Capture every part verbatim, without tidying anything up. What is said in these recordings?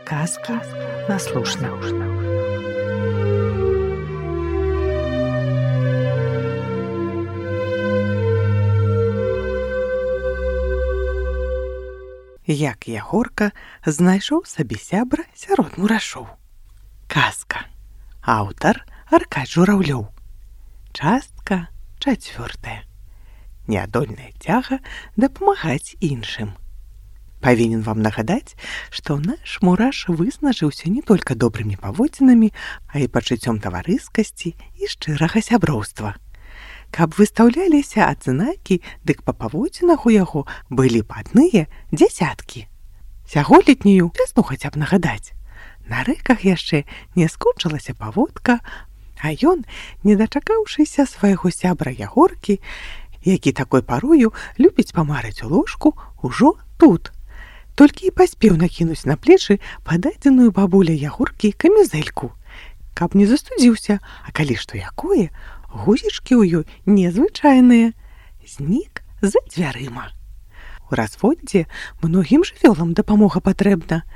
Казки на слушна. Як Ягорка знайшоў сабе сябра сярод мурашоў. Казка. Аўтар Аркадь Жураўлёў. Частка чацвёртая. Неадольная цяга дапамагаць іншым. Павінен вам нагадаць, што наш мураш вызначыўся не толькі добрымі паводзінамі, а і пачуццём таварыскасці і шчырага сяброўства. Каб выстаўляліся адзнакі, дык па паводзінах у яго былі б адныя дзясяткі. Сяголетнюю вясну хаця б нагадаць. На рэках яшчэ не скончылася паводка, а ён, не дачакаўшыся свайго сябра Ягоркі, які такой парою любіць памарыць у ложку, ужо тут. Толькі і паспеў накінуць на плечы пададзеную бабуля Ягоркі камізэльку, каб не застудзіўся, а калі што якое, гузічкі ў ёй незвычайныя. Знік за дзвярыма. У разводдзе многім жывёлам дапамога патрэбна.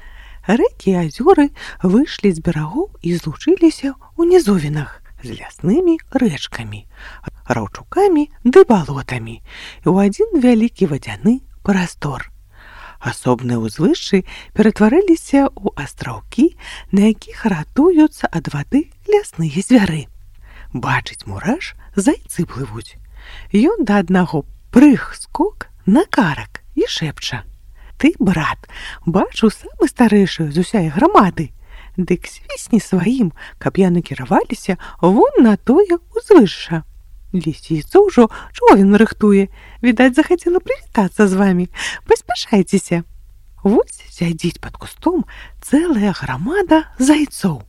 Рэкі і азёры выйшлі з берагоў і злучыліся ў нізовінах з ляснымі рэчкамі, раўчукамі ды балотамі і ў адзін вялікі вадзяны прастор. Асобныя ўзвышшы ператварыліся ў астраўкі, на якіх ратуюцца ад вады лясныя звяры. Бачыць мураш, зайцы плывуць. Ён да аднаго прыг-скок на карак і шэпча: «Ты, брат, бачу самы старэйшы з усяе грамады. Дык свісні сваім, каб яны кіраваліся вон на тое ўзвышша. Лісіца ўжо човен рыхтуе. Відаць, захацела прывітацца з вамі. Паспяшайцеся». Вось сядзіць пад кустом цэлая грамада зайцоў.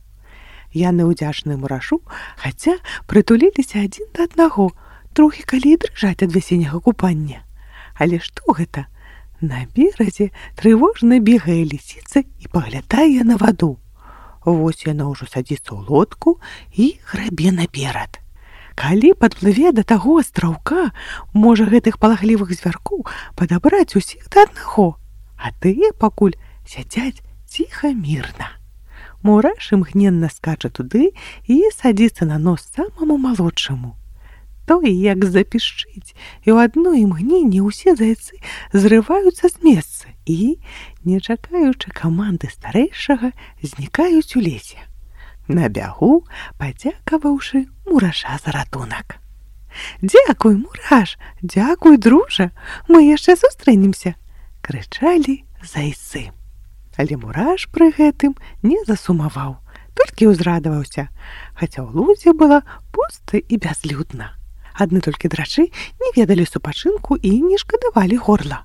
Яны ўдзячныя мурашу, хаця прытуліліся адзін да аднаго, трохі калі і дрыжаць ад вясенняга купання. Але што гэта? На беразе трывожна бегае лісіца і паглядае на ваду. Вось яна ўжо садзіцца ў лодку і грабе наперад. Калі падплыве да таго астраўка, можа гэтых палахлівых звяркоў падабраць усіх да аднаго, а тыя пакуль сядзяць ціха мірна. Мураш імгненна скача туды і садзіцца на нос самаму малодшаму. Той як запішчыць, і ў адно імгненне ўсе зайцы зрываюцца з месца і, не чакаючы каманды старэйшага, знікаюць у лесе. На бягу, падзякаваўшы мураша за ратунак. «Дзякуй, мураш, дзякуй, дружа, мы яшчэ сустрэнемся!» — крычалі зайцы. Але мураш пры гэтым не засумаваў, толькі ўзрадаваўся, хаця ў лузе была пуста і бязлюдна. Адны толькі драчы не ведалі супачынку і не шкадавалі горла.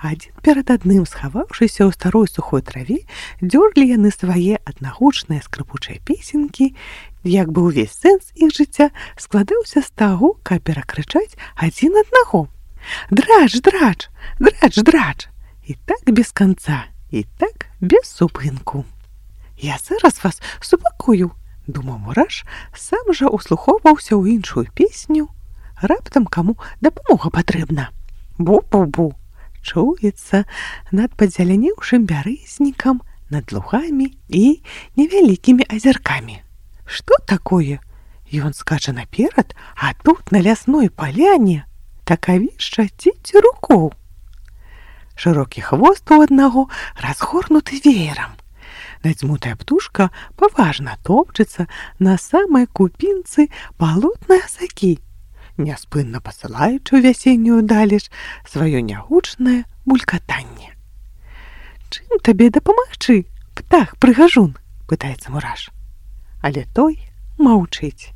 Адзін перад адным, схаваўшыся ў старой сухой траве, дзёрлі яны свае аднагучныя скрыпучыя песенькі, як бы ўвесь сэнс іх жыцця складаўся з таго, каб перакрычаць адзін аднаго: «Драч, драч, драч, драч!» І так без канца, і так без супынку. «Я зараз вас супакую», — думаў мураш, сам жа услухоўваўся ў іншую песню. Раптам каму дапамога патрэбна. Бу-бу-бу. Чуецца над падзелянеўшым бярэзнікам, над лугамі і невялікімі азяркамі. Што такое? Ён скача наперад, а тут на лясной паляне такавішча дзеці рукоў. Шырокі хвост у аднаго разгорнуты веерам. Надзьмутая птушка паважна топчыцца на самай купінцы балотнай асакі, няспынна пасылаючы ў вясеннюю далеч сваё нягучнае булькатанне. «Чым табе дапамагчы, птах-прыгажун?» — пытаецца мураш. Але той маўчыць.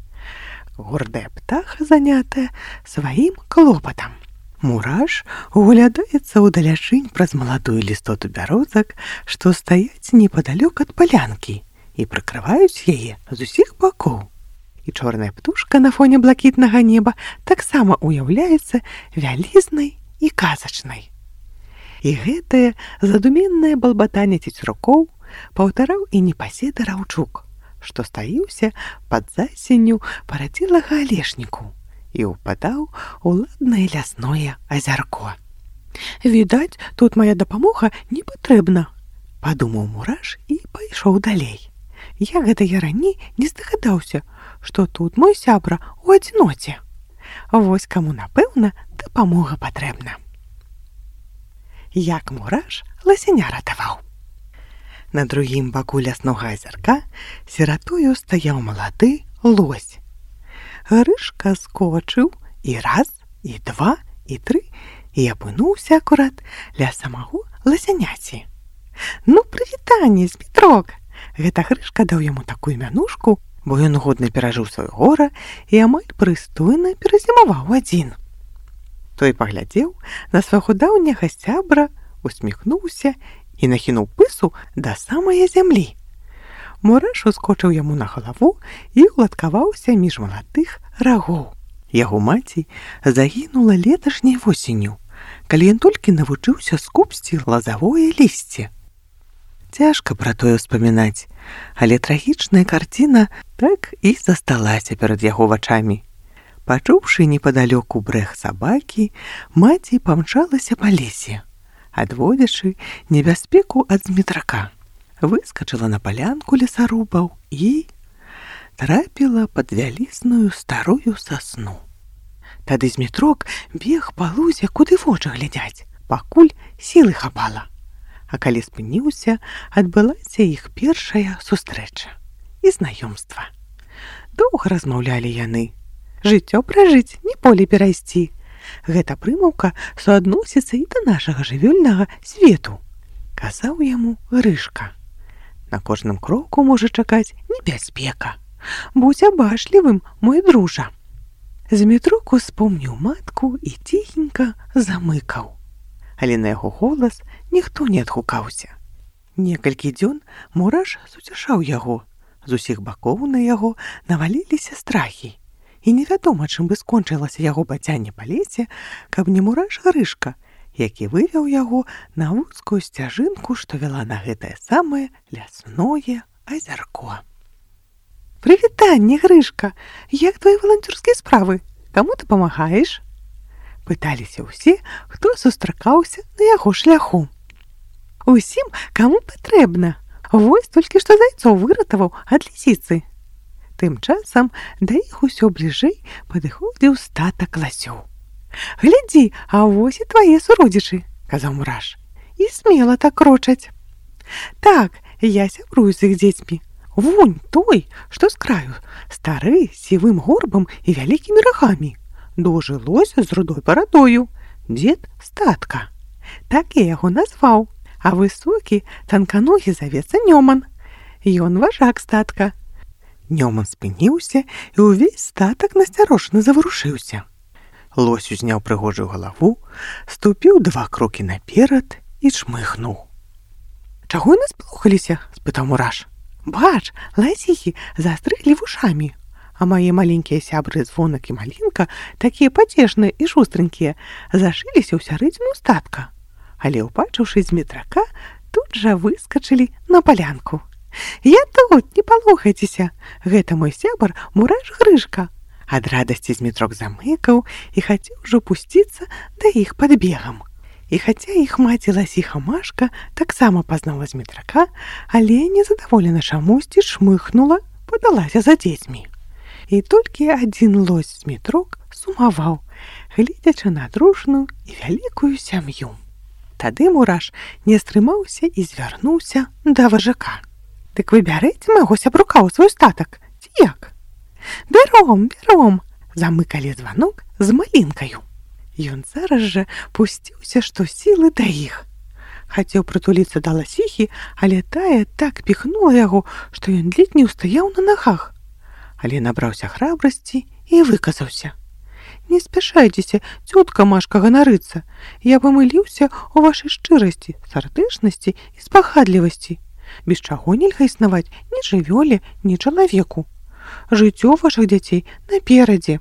Гордая птаха занятая сваім клопатам. Мураш углядаецца ўдалячынь праз маладую лістоту бярозак, што стаяць непадалёк ад палянкі і прыкрываюць яе з усіх бакоў. І чорная птушка на фоне блакітнага неба таксама уяўляецца вялізнай і казачнай. І гэтае задуменнае балбатанне цецюркоў паўтараў і непаседы раўчук, што стаіўся пад засенню парадзілага алешніку і ўпадаў у ладнае лясное азярко. «Відаць, тут мая дапамога не патрэбна», Падумаў мураш і пайшоў далей. Я гэта я раней не здагадаўся, што тут мой сябра у адзіноце. Вось каму, напэўна, дапамога патрэбна. Як мураш ласяня ратаваў. На другім баку ляснога азярка сіратою стаяў малады лось. Грышка скочыў і раз, і два, і тры, і апынуўся акурат ля самого ласяняці. Ну, прывітанне, Змітрок! Гэта Грышка даў яму такую мянушку, бо ён годна перажыў сваё гора і амаль прыстойна перазімаваў адзін. Той паглядзеў на свайго даўняга сябра, усміхнуўся і нахінуў пысу да самае зямлі. Мураш ускочыў яму на галаву і уладкаваўся між маладых рагоў. Яго маці загінула леташняй восенню, калі ён толькі навучыўся скубсці лазавое лісце. Цяжка пра тое ўспамінаць, але трагічная карціна так і засталася перад яго вачамі. Пачуўшы непадалёку брэх сабакі, маці памчалася па лесе, адводзячы небяспеку ад Змітрака. Выскачыла на палянку лесарубаў і трапіла пад вялізную старую сасну. Тады Змітрок бег па лузе, куды вочы глядзяць, пакуль сілы хапала. А калі спыніўся, адбылася іх першая сустрэча і знаёмства. Доўга размаўлялі яны. Жыццё пражыць, не поле перайсці. Гэта прымаўка суадносіцца і да нашага жывёльнага свету, казаў яму Грышка. На кожным кроку можа чакаць небяспека. Будзь абачлівым, мой дружа. Змітрок успомніў матку і ціхенька замыкаў. Але на яго голас ніхто не адгукаўся. Некалькі дзён мураш суцяшаў яго. З усіх бакоў на яго наваліліся страхі. І невядома, чым бы скончылася яго бацянне па лесе, каб не мураш Грышка, які вывеў яго на вузкую сцяжынку, што вяла на гэтае самае лясное азярко. «Прывітанне, Грышка! Як твои валанцёрскія справы? Каму ты памагаеш?» Пыталіся ўсе, хто сустракаўся на яго шляху. «Усім, каму патрэбна. Вось толькі што зайцоў выратаваў ад лісіцы». Тым часам да іх усё бліжэй падыходзіў статак ласёў. «Глядзі, а вось і твае суродзічы», — казаў мураш, — «і смела так крочаць». «Так, я сябрую з іх дзецьмі. Вунь той, што з краю, стары, сівым горбам і вялікімі рагамі. Дужы лось з рудой барадою, дзед статка. Так я яго назваў, а высокі, танканогі завецца Нёман. Ён важак статка». Нёман спыніўся, і ўвесь статак насцярожана заварушыўся. Лось узняў прыгожую галаву, ступіў два крокі наперад і чмыхнуў. «Чаго яны сплохаліся?» – спытаў мураш. «Бач, ласіхі застрыглі вушамі, а мае маленькія сябры Звонак і Малінка, такія пацешныя і шустренькія, зашыліся ў сярэдзіну статка. Але, убачыўшы Змітрака, тут жа выскачылі на палянку. Я тут, не палохайцеся, гэта мой сябар мураш Грышка». Ад радасці Змітрок замыкаў і хацеў ужо пусціцца да іх пад бегам. І хаця іх маці ласіха Машка таксама пазнала Змітрака, але незадаволена чамусьці шмыхнула, падалася за дзецьмі. І толькі адзін лось Змітрок сумаваў, гледзячы на дружную і вялікую сям'ю. Тады мураш не стрымаўся і звярнуўся да важака. «Дык вы бярэце майго сябрука ў свой статак, ці як?» «Бяром, бяром!» – замыкалі Званок з Малінкаю. Ён зараз жа пусціўся што сілы да іх. Хацеў прытуліцца да ласіхі, але тая так піхнула яго, што ён ледзь не ўстаяў на нагах. Але набраўся храбрасці і выказаўся. «Не спяшайцеся, цётка Машка, ганарыцца. Я памыліўся ў вашай шчырасці, сардэчнасці і спагадлівасці. Без чаго нельга існаваць ні жывёле, ні чалавеку. Жыццё вашых дзяцей наперадзе.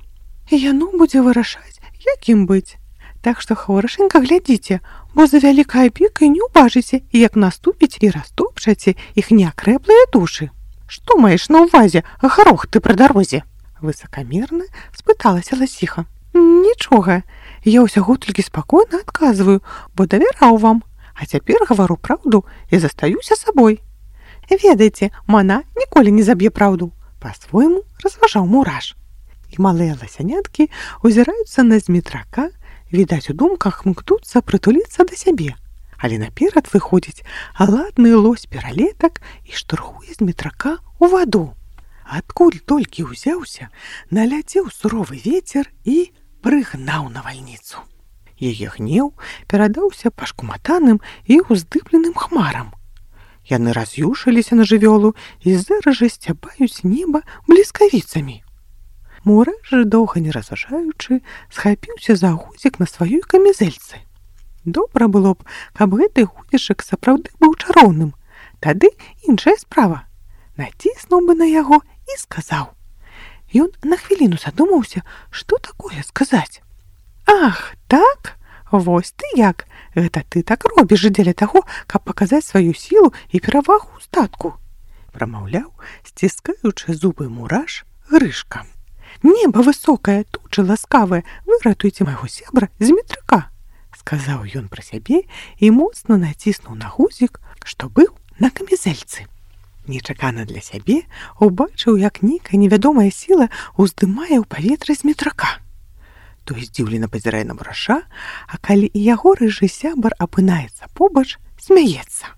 Яно будзе вырашаць, якім быць. Так што хворашенька глядзіце, бо за вялікай апекай не ўбачыце, як наступіць і растопчаце іх неакрэплыя душы. Што маеш на ўвазе, гарох ты пры дарозе?» Высакамерна спыталася ласіха. «Нічога, я ўсяго толькі спакойна адказваю, бо давяраў вам. А цяпер гавару праўду і застаюся сабой. Ведаеце, мана ніколі не заб'е праўду, па-свойму разважаў Мураш. І малыя ласяняткі узіраюцца на змітрака, відаць, у думках мкнуцца прытуліцца да сябе. Але наперад выходзіць ладны лось пералетак і штурхуе змітрака ў ваду. Адкуль толькі ўзяўся, наляцеў суровы вецер і прыгнаў навальніцу. Яе гнеў перадаўся пашкуматаным і ўздыбленым хмарам. Яны раз'юшыліся на жывёлу і зараз жа сцябаюць неба бліскавіцамі. Мураш жа, доўга не разважаючы, схапіўся за гузік на сваёй камізэльцы. Добра было б, каб гэты гузічак сапраўды быў чароўным. Тады іншая справа. Націснуў бы на яго і сказаў. Ён на хвіліну задумаўся, што такое сказаць. Ах, так? Вось ты як? Гэта ты так робіш дзеля таго, каб паказаць сваю сілу і перавагу ў статку. Прамаўляў, сціскаючы зубы Мураш, Грышка. Неба высокае, тучы ласкавыя, выратуйце майго сябра змітрака, сказаў ён пра сябе і моцна націснуў на гузік, што быў на камізэльцы. Нечакана для сябе убачыў, як нейкая невядомая сіла ўздымае ў паветра змітрака. Той здзіўлена пазірае на Мураша, а калі і яго рыжы сябар апынаецца побач, смяецца.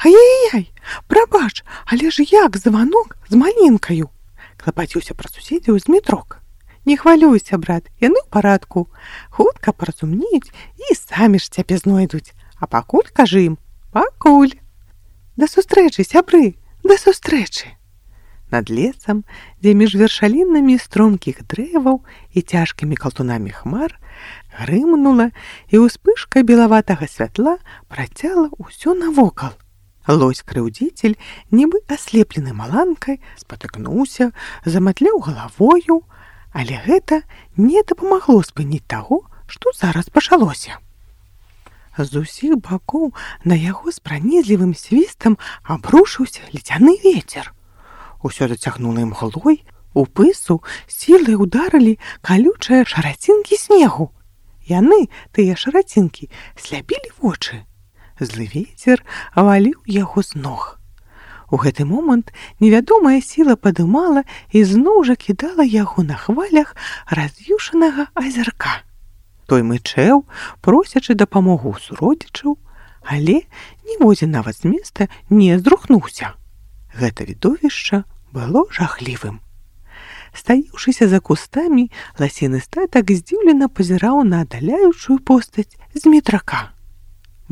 Ай-яй-яй, прабач, але ж як званок з малінкаю? Клапаціўся пра суседзяў змітрок. Не хвалюйся, брат, яны ў парадку. Хутка паразумнеюць і самі ж цябе знойдуць. А пакуль кажы ім, пакуль. Да сустрэчы, сябры, да сустрэчы. Над лесам, дзе між вершалінамі стромкіх дрэваў і цяжкімі калтунамі хмар, грымнула, і ўспышка белаватага святла працяла ўсё навокал. Лось-крыўдзіцель, нібы аслеплены маланкай, спатыкнуўся, заматляў галавою, але гэта не дапамагло спыніць таго, што зараз пачалося. З усіх бакоў на яго з пранізлівым свістам абрушыўся ледзяны вецер. Усё зацягнула імглой, у пысу сілай ударылі калючыя шарацінкі снегу. Яны, тыя шарацінкі, сляпілі вочы. Злы вецер валіў яго з ног. У гэты момант невядомая сіла падымала і зноў жа кідала яго на хвалях раз'юшанага азярка. Той мычэў, просячы дапамогу ў суродзічаў, але ніводзін нават з места не зрухнуўся. Гэта відовішча было жахлівым. Стаіўшыся за кустамі, ласіны статак здзіўлена пазіраў на аддаляючую постаць змітрака.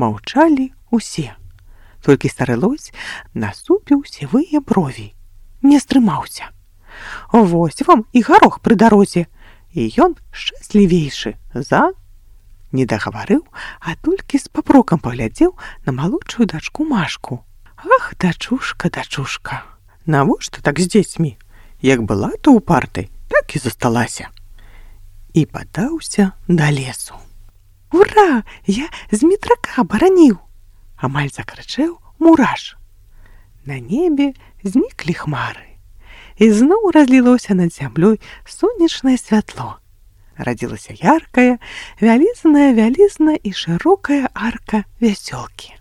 Маўчалі усе. Толькі стары лось насупіў сівыя брові. Не стрымаўся. Вось вам і гарох пры дарозе. І ён шчаслівейшы за... Не дагаварыў, а толькі з папрокам паглядзеў на малодшую дачку Машку. Ах, дачушка, дачушка, навошта так з дзецьмі? Як была то упартай, так і засталася. І падаўся да лесу. Ура! Я змітрака бараніў! Амаль закрычэў Мураш. На небе зніклі хмары. І зноў разлілося над зямлёй сонечнае святло. Радзілася яркая, вялізная-вялізная і шырокая арка вясёлкі.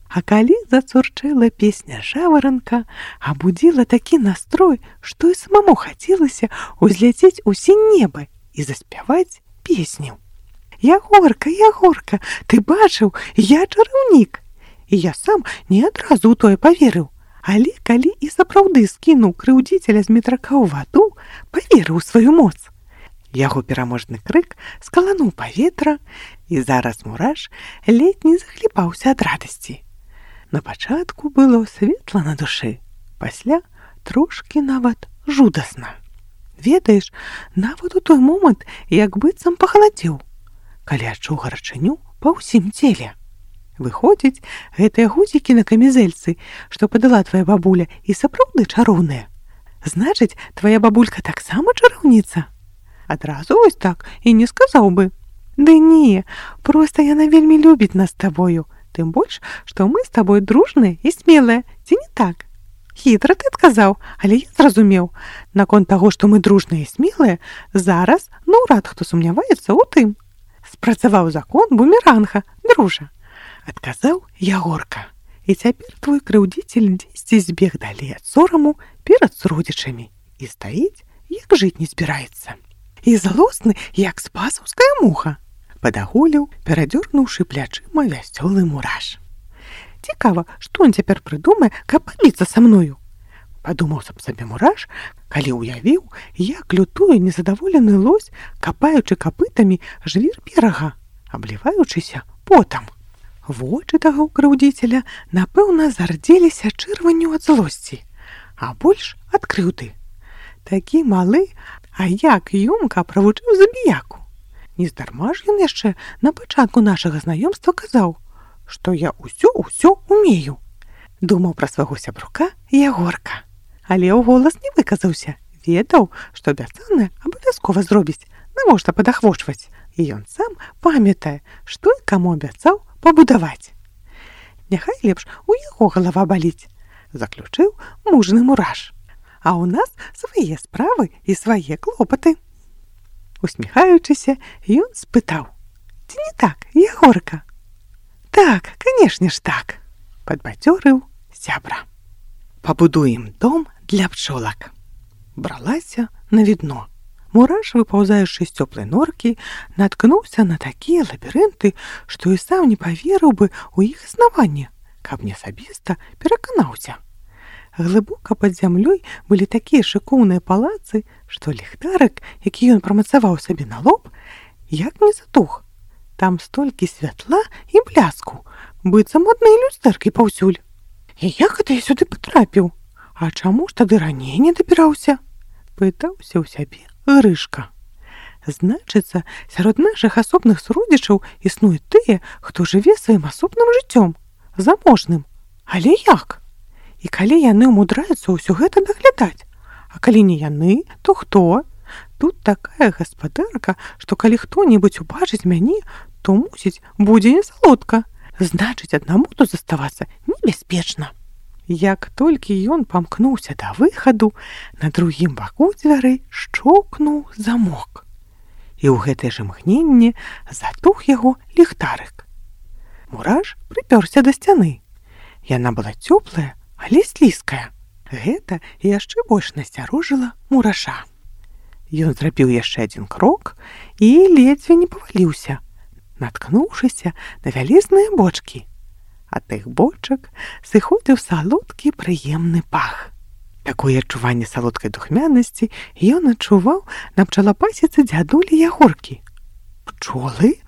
А калі зацурчэла песня жаваранка, абудзіла такі настрой, што і самому хацелася ўзляцець у сінь неба і заспяваць песню. Ягорка, Ягорка, ты бачыў, я чараўнік. І я сам не адразу ў тое паверыў, але калі і сапраўды скінуў крыўдзіцеля змітрака ў ваду, паверыў у сваю моц. Яго пераможны крык скалануў паветра, і зараз Мураш ледзь не захліпаўся ад радасці. На пачатку было светла на душы, пасля трошкі нават жудасна. Ведаеш, нават у той момант як быццам пахаладзеў, калі адчуў гарачыню па ўсім целе. Выходзіць, гэтыя гузікі на камізэльцы, што падала твая бабуля, і сапраўды чароўныя. Значыць, твая бабулька таксама чараўніца? Адразу вось так і не сказаў бы. Ды не, проста яна вельмі любіць нас з табою, тым больш, што мы з табой дружныя і смелыя, ці не так? Хітра ты адказаў, але я зразумеў. Наконт таго, што мы дружныя і смелыя, зараз наўрад хто сумняваецца ў тым. Спрацаваў закон бумеранга, дружа. адказаў Ягорка. І цяпер твой крыўдзіцель дзесьці збег далей ад сораму перад суродзічамі і стаіць, як жыць не збіраецца. І злосны, як спасаўская муха, падагуліў, перадзёрнуўшы плячыма вясёлы Мураш. Цікава, што ён цяпер прыдумае, каб пабіцца са мною? Падумаў сам сабе Мураш, калі ўявіў, як лютуе незадаволены лось, капаючы капытамі жвір берага, абліваючыся потам. Вочы таго крыўдзіцеля, напэўна, зардзеліся чырванню ад злосці, а больш ад крыўды. Такі малы, а як ёмка правучыў забіяку. Нездарма ж ён яшчэ на пачатку нашага знаёмства казаў, што я ўсё-ўсё умею. Думаў пра свайго сябрука Ягорка. Але ў голас не выказаўся, ведаў, што абяцанае абавязкова зробіць, навошта падахвочваць. І ён сам памятае, што і каму абяцаў пабудаваць. Няхай лепш у яго галава баліць, заключыў мужны Мураш. А ў нас свае справы і свае клопаты. Усміхаючыся, ён спытаў: «Ці не так, Ягорка?» «Так, канешне ж так», — падбадзёрыў сябра. «Пабудуем дом для пчолак». Бралася на відно. Мураш, выпаўзаючы з цёплай норкі, наткнуўся на такія лабірынты, што і сам не паверыў бы ў іх існаванне, каб не асабіста пераканаўся. Глыбока пад зямлёй былі такія шыкоўныя палацы, што ліхтарык, які ён прамацаваў сабе на лоб, як не затух. Там столькі святла і бляску, быццам адныя люстэркі паўсюль. І як гэта я сюды патрапіў? А чаму ж тады раней не дабіраўся? Пытаўся ў сябе Грышка. Значыцца, сярод нашых асобных суродзічаў існуюць тыя, хто жыве сваім асобным жыццём, заможным. Але як? І калі яны ўмудраюцца ўсё гэта даглядаць? А калі не яны, то хто? Тут такая гаспадарка, што калі хто-небудзь убачыць мяне, то, мусіць, будзе не салодка. Значыць, аднаму тут заставацца небяспечна. Як толькі ён памкнуўся да выхаду, на другім баку дзвярэй шчоўкнуў замок. І ў гэтае ж імгненне затух яго ліхтарык. Мураш прыпёрся да сцяны. Яна была цёплая, але слізкая. Гэта яшчэ больш насцярожыла Мураша. Ён зрабіў яшчэ адзін крок і ледзьве не паваліўся, наткнуўшыся на вялізныя бочкі. Ад тых бочак сыходзіў салодкі прыемны пах. Такое адчуванне салодкай духмянасці ён адчуваў на пчалапасіцы дзядулі Ягоркі. Пчолы?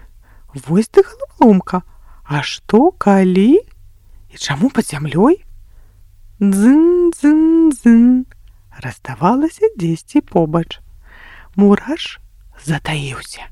Вось ты галаволомка. А што, калі? І чаму пад зямлёй? Дзын-дзын-дзын. Раздавалася дзесьці побач. Мураш затаіўся.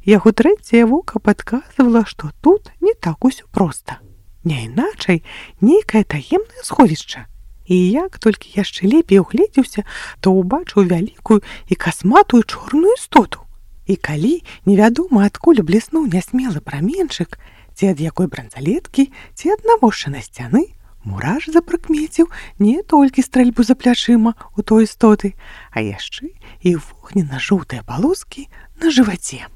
Яго трэцяе вока падказвала, што тут не так усё проста. Не іначай, нейкае таемнае сховішча. І як толькі яшчэ лепей угледзеўся, то ўбачыў вялікую і касматую чорную істоту. І калі невядома адкуль бліснуў нясмелы праменчык, ці ад якой бранзалеткі, ці ад навошчанай сцяны, Мураш запрыкмеціў не толькі стрэльбу за плячыма у той істоты, а яшчэ і вогненна-жоўтыя палоскі на жываце.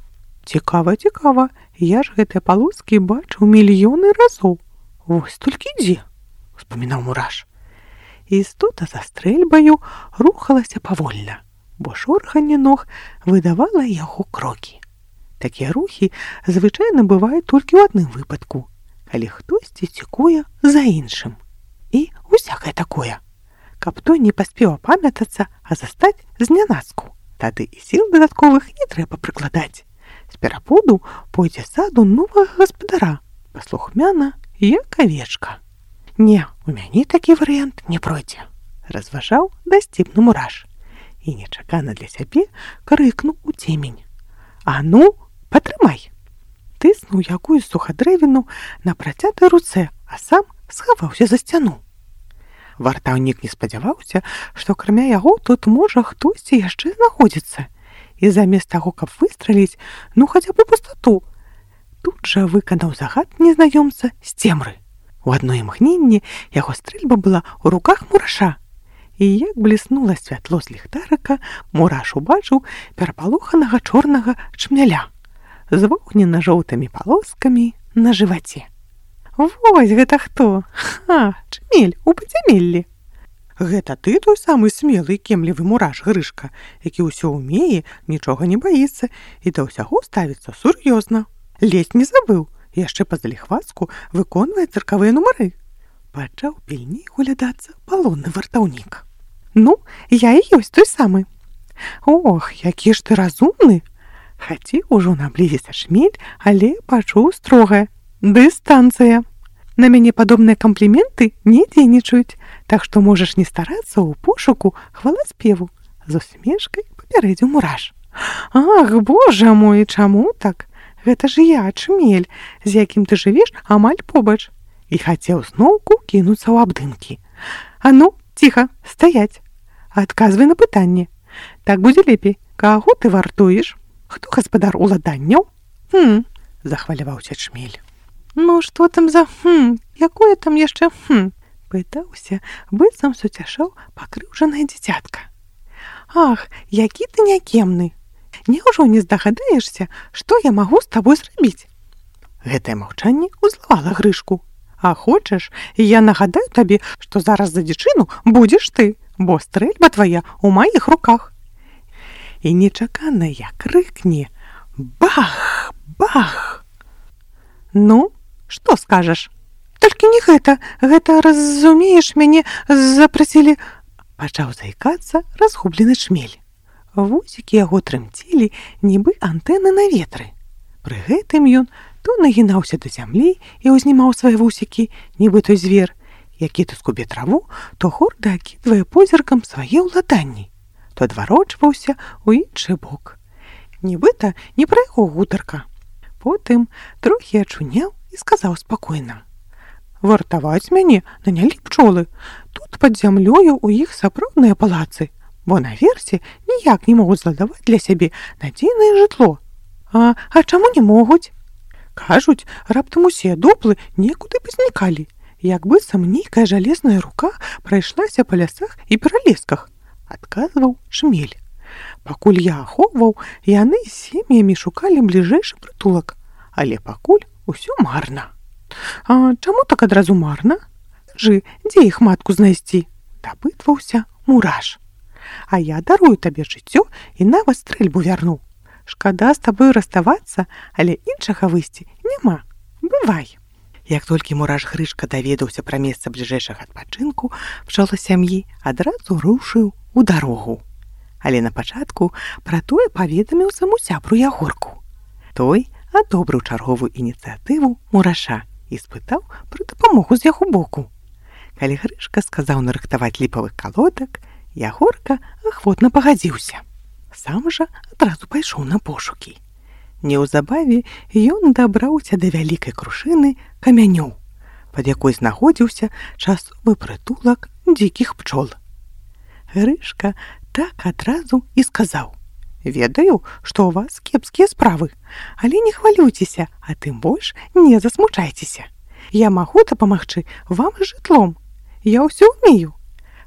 Цікава, цікава, я ж гэтыя палоскі бачыў мільёны разоў. Вось толькі дзе, успамінаў Мураш. Істота за стрэльбаю рухалася павольна, бо шорханне ног выдавала яго крокі. Такія рухі звычайна бываюць толькі ў адным выпадку, калі хтосьці цікуе за іншым. І усякае такое. Каб той не паспеў апамятацца, а застаць знянацку. Тады і сіл дадатковых не трэба прыкладаць. З перапуду пойдзе саду новага гаспадара, паслухмяна, як авечка. Не, у мяне такі варыянт не пройдзе, разважаў дасціпны Мураш. І нечакана для сябе крыкнуў у цемень. А ну, патрымай! Тыснуў якую сухадрэвіну на працятай руцэ, а сам схаваўся за сцяну. Вартаўнік не спадзяваўся, што акрамя яго тут можа хтосьці яшчэ знаходзіцца. І замест таго, каб выстраліць, ну хаця б у пустату, тут жа выканаў загад незнаёмца з цемры. У адно імгненне яго стрэльба была ў руках Мураша. І як бліснула святло з ліхтарыка, Мураш убачыў перапалоханага чорнага чмяля з вогненна-жоўтымі палоскамі на жываце. Вось гэта хто? Ха, чмель у падзямеллі. Гэта ты той самы смелы і кемлівы мураш Грышка, які ўсё ўмее, нічога не баіцца і да ўсяго ставіцца сур'ёзна. Ледзь не забыў, яшчэ па-заліхвацку выконвае цыркавыя нумары. Пачаў пільней углядацца палонны вартаўнік. Ну, я і ёсць той самы. Ох, які ж ты разумны! Хацеў ужо наблізіцца шмель, але пачуў строгае: дыстанцыя. На мяне падобныя кампліменты не дзейнічаюць, так што можаш не старацца ў пошуку хваласпеву. З усмешкай папярэдзіў мураш. Ах, божа мой, чаму так? Гэта ж я, чмель, з якім ты жывеш амаль побач. І хацеў зноўку кінуцца ў абдымкі. А ну, ціха, стаяць. Адказвай на пытанне. Так будзе лепей. Каго ты вартуеш? Хто гаспадар уладанняў? Хм, захваляваўся чмель. Ну, што там за хм, якое там яшчэ хм? Пытаўся, быццам суцяшаў пакрыўжанае дзіцятка. Ах, які ты някемны. Няўжо не здагадаешся, што я магу з табой зрабіць? Гэтае маўчанне ўзлавала Грышку. А хочаш, я нагадаю табе, што зараз за дзічыну будзеш ты, бо стрэльба твая ў маіх руках. І нечакана як крыкне: бах, бах! Ну, што скажаш? Толькі не гэта, гэта, разумееш, мяне запрасілі... Пачаў заікацца разгублены чмель. Вусікі яго трымцелі, нібы антэны на ветры. Пры гэтым ён то нагінаўся да зямлі і ўзнімаў свае вусікі, нібы той звер, які то скубе траву, то горда акідвае позіркам свае ўладанні, то адварочваўся ў іншы бок. Нібыта не пра яго гутарка. Потым трохі ачуняў і сказаў спакойна: вартаваць мяне нанялі пчолы. Тут пад зямлёю ў іх сапраўдныя палацы, бо наверсе ніяк не могуць зладаваць для сябе надзейнае жытло. А, а чаму не могуць? Кажуць, раптам усе дуплы некуды пазнікалі, як быццам нейкая жалезная рука прайшлася па лясах і пералесках, адказваў чмель. Пакуль я ахоўваў, яны з сем'ямі шукалі бліжэйшы прытулак, але пакуль усё марна. А чаму так адразу марна? Скажы, дзе іх матку знайсці? Дапытваўся мураш. А я дарую табе жыццё і нават стрэльбу вярну. Шкада з табою раставацца, але іншага выйсці няма. Бывай. Як толькі мураш Грышка даведаўся пра месца бліжэйшага адпачынку, пчола сям'і адразу рушыў у дарогу. Але на пачатку пра тое паведаміў саму сябру Ягорку. Той адобрыў чарговую ініцыятыву мураша і спытаў пра дапамогу з яго боку. Калі Грышка сказаў нарыхтаваць ліпавых калодак, Ягорка ахвотна пагадзіўся. Сам жа адразу пайшоў на пошукі. Неўзабаве ён дабраўся да вялікай крушыны камянёў, пад якой знаходзіўся часовы прытулак дзікіх пчол. Грышка так адразу і сказаў: ведаю, што ў вас кепскія справы, але не хвалюйцеся, а тым больш не засмучайцеся. Я магу дапамагчы вам з жытлом. Я ўсё ўмею,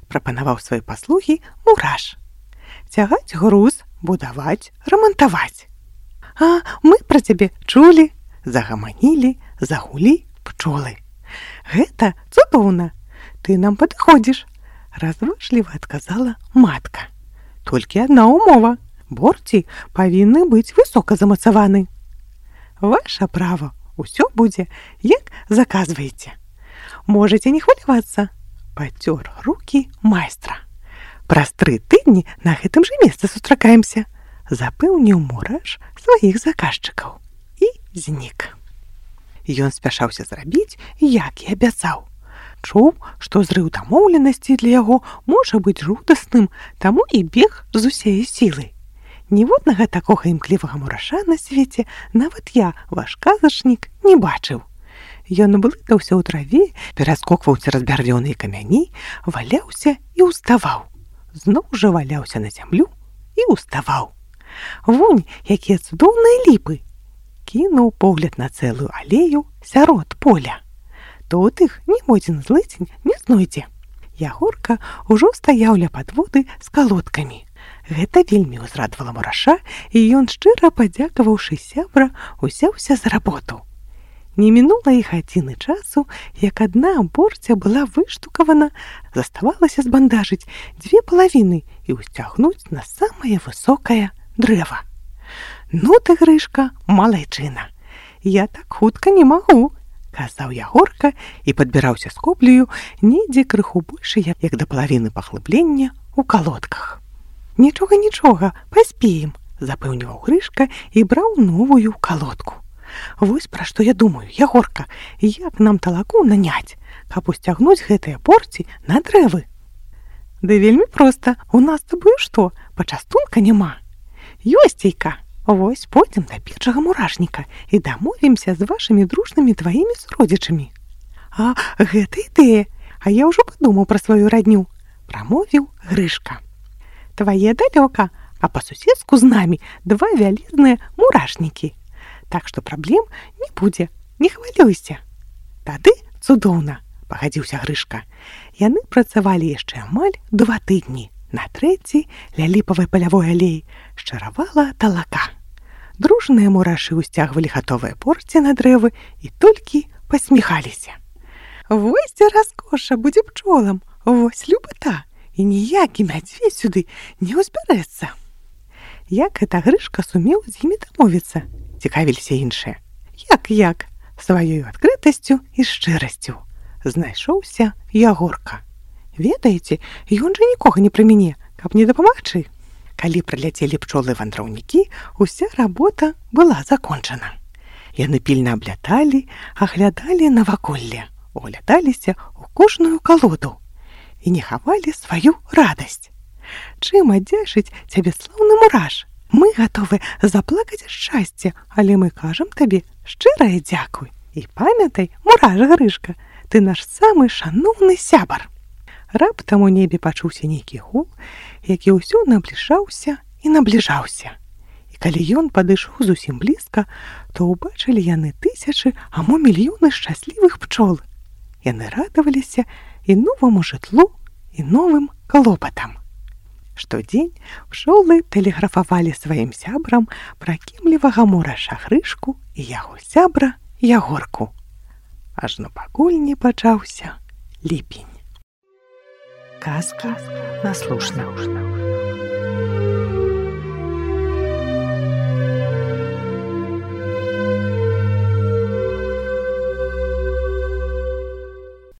прапанаваў свае паслугі мураш. Цягаць груз, будаваць, рамантаваць. А мы пра цябе чулі, загаманілі, загулі пчолы. Гэта цудоўна, ты нам падыходзіш, разважліва адказала матка. Толькі адна ўмова: борці павінны быць высока замацаваны. Ваша права, усё будзе, як заказваеце. Можаце не хвалявацца, пацёр рукі майстра. Праз тры тыдні на гэтым жа месцы сустракаемся, запэўніў мураш сваіх заказчыкаў і знік. Ён спяшаўся зрабіць, як і абяцаў. Чуў, што зрыў дамоўленасці для яго можа быць жудасным, таму і бег з усяе сілы. Ніводнага такога імклівага мураша на свеце нават я, ваш казачнік, не бачыў. Ён блытаўся ў траве, пераскокваў цераз бярвёныя камяні, валяўся і ўставаў. Зноў жа валяўся на зямлю і ўставаў. Вунь, якія цудоўныя ліпы! Кінуў погляд на цэлую алею сярод поля. Тут іх ніводзін злыцень не знойдзе. Ягорка ўжо стаяў ля падводы з калодкамі. Гэта вельмі ўзрадавала мураша, і ён, шчыра падзякаваўшы сябра, узяўся за работу. Не мінула і гадзіны часу, як адна борця была выштукавана, заставалася збандажыць дзве палавіны і ўсцягнуць на самае высокае дрэва. «Ну ты, Грышка, малайчына, я так хутка не магу», – казаў Ягорка і падбіраўся з коблею недзе крыху больш, як да палавіны паглыблення ў калодках. «Нічога, нічога, паспеем», – запэўніваў Грышка і браў новую калодку. «Вось пра што я думаю, Ягорка, як нам талаку наняць, каб усцягнуць гэтыя борці на дрэвы?» «Да вельмі проста, у нас з табою што, пачастунка няма?» «Ёсцейка, вось пойдзем да першага мурашніка і дамовімся з вашымі дружнымі тваімі суродзічамі». «А гэта ідэя, а я ўжо падумаў пра сваю радню», – прамовіў Грышка. «Твае далёка, а па-суседску з намі два вялізныя мурашнікі. Так што праблем не будзе, не хвалюйся». «Тады цудоўна», – пагадзіўся Грышка. Яны працавалі яшчэ амаль два тыдні. На трэці ля ліпавай палявой алеі шчаравала талака. Дружныя мурашы ўсцягвалі гатовыя борці на дрэвы і толькі пасміхаліся. «Вось дзе раскоша будзе пчолам, вось любата, і ніякі мядзведзь сюды не ўзбярэцца». Як гэта Грышка сумеў з імі дамовіцца? Цікавіліся іншыя. Як-як? Сваёй адкрытасцю і шчырасцю. Знайшоўся Ягорка. Ведаеце, ён жа нікога не прымяне, каб не дапамагчы. Калі прыляцелі пчолы-вандраўнікі, уся работа была закончана. Яны пільна абляталі, аглядалі наваколле, углядаліся ў кожную калоду і не хавалі сваю радасць. «Чым адзяшыць цябе слаўны мураш? Мы гатовы заплакаць ад шчасця, але мы кажам табе шчырае дзякуй. І памятай, мураш Грышка, ты наш самы шаноўны сябар». Раптам у небе пачуўся нейкі гул, які ўсё набліжаўся і набліжаўся. І калі ён падышоў зусім блізка, то ўбачылі яны тысячы, а мо мільёны шчаслівых пчол. Яны радаваліся і новаму жытлу, і новым клопатам. Штодзень пчолы тэлеграфавалі сваім сябрам пра кемлівага мураша Грышку і яго сябра Ягорку. Ажно пакуль не пачаўся ліпень. Казка наслушна.